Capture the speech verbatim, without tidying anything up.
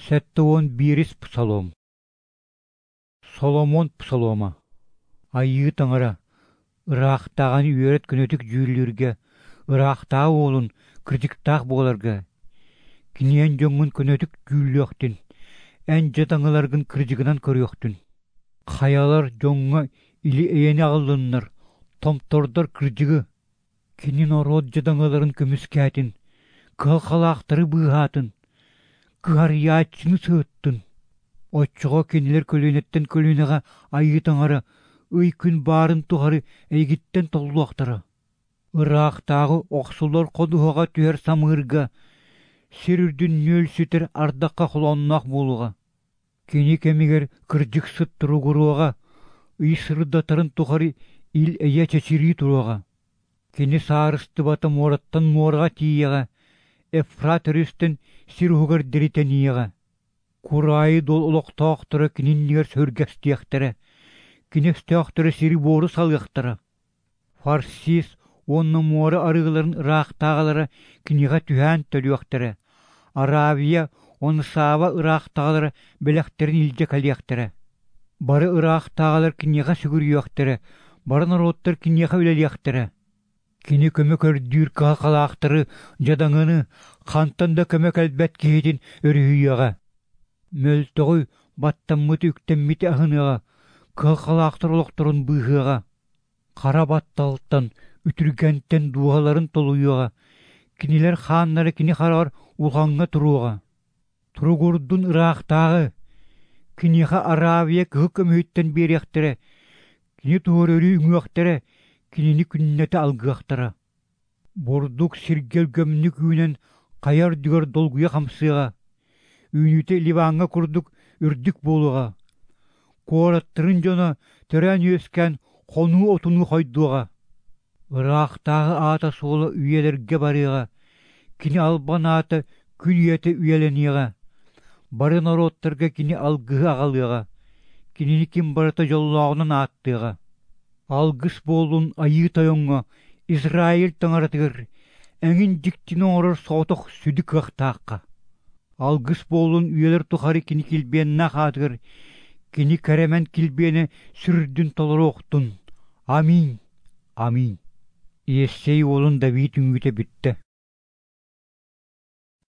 Сэттэ уон биирис псалом. Соломон псалома. Айыы Таҥара, ыраахтааҕыны үөрэт көнөтүк дьүүллүүргэ, ыраахтааҕы уолун кырдьыктаах буоларга. Кини эн дьоҥҥун көнөтүк дьүүллүөхтүн, эн дьадаҥыларгын кырдьыгынан көрүөхтүн. Хайалар дьоҥҥо или-эйэни аҕаллыннар, томтордор кырдьыгы. Кини норуот дьадаҥыларын көмүскээтин, кыһалҕалаахтары быыһаатын, кыһарыйааччыны сыһыттын. Оччоҕо кинилэр көлүөнэттэн көлүөнэҕэ Айыы Таҥара ый-күн баарын тухары эйигиттэн толлуохтара. Ыраахтааҕы охсуллар ходуһаҕа түһэр самыырга, сир үрдүн нүөлсүтэр ардахха холоонноох буолуоҕа. Кини кэмигэр кырдьыксыт туругуруоҕа, ый сырдатарын тухары ил-эйэ чэчирии туруоҕа. Кини саарыстыбата муораттан муораҕа тиийиэҕэ, Эфрат өрүстэн сир уһугар диэри тэнийиэҕэ. Кураайы дуол олохтоохторо кини иннигэр сүргэстиэхтэрэ, кини өстөөхтөрө сири-буору салыахтара. Фарсис уонна муора арыыларын ыраахтааҕылара киниэхэ түһээн төлүөхтэрэ, Аравия уонна Сава ыраахтааҕылара бэлэхтэрин илдьэ кэлиэхтэрэ. Бары ыраахтааҕылар киниэхэ сүгүрүйүөхтэрэ, бары норуоттар киниэхэ үлэлиэхтэрэ. Кини көмө көрдүүр кыһалҕалаахтары дьадаҥыны, хантан да көмө кэлбэт киһитин өрүһүйүөҕэ. Мөлтөҕү, баттаммыты үктэммити аһыныаҕа, кыһалҕалаахтар олохторун быыһыаҕа. Хара батталтан, үтүргэнтэн дууһаларын толуйуоҕа, кинилэр хааннара кини хараҕар улахаҥҥа туруоҕа. Туругурдун ыраахтааҕы, киниэхэ Аравия кыһыл көмүһүттэн биэриэхтэрэ, кини туһугар өрүү үҥүөхтэрэ, кинини күннэтэ алгыахтара. Бурдук сиргэ өлгөмнүк үүнэн хайа үрдүгэр долгуйа хамсыаҕа, үүнүүтэ Ливаҥҥа курдук үрдүк буолуоҕа. Куораттарын дьоно төрөөн-үөскээн хонуу отунуу хойдуоҕа. Ыраахтааҕы аата-суола үйэлэргэ барыаҕа, кини албан аата күн үйэтэ үйэлэниэҕэ. Бары норуоттарга кини алгыһы аҕалыаҕа, кинини ким барыта дьоллооҕунан ааттыаҕа. Алгыс буоллун Айыы Тойоҥҥо, Израиль Таҥаратыгар, эҥин дьиктини оҥорор соҕотох сүдү кыахтаахха. Алгыс буоллун үйэлэр тухары кини килбиэннээх аатыгар, кини кэрэмэн килбиэнэ сүрдүн толоруохтун. Аминь. Аминь. Иессей уолун Давид үҥүүтэ бүттэ.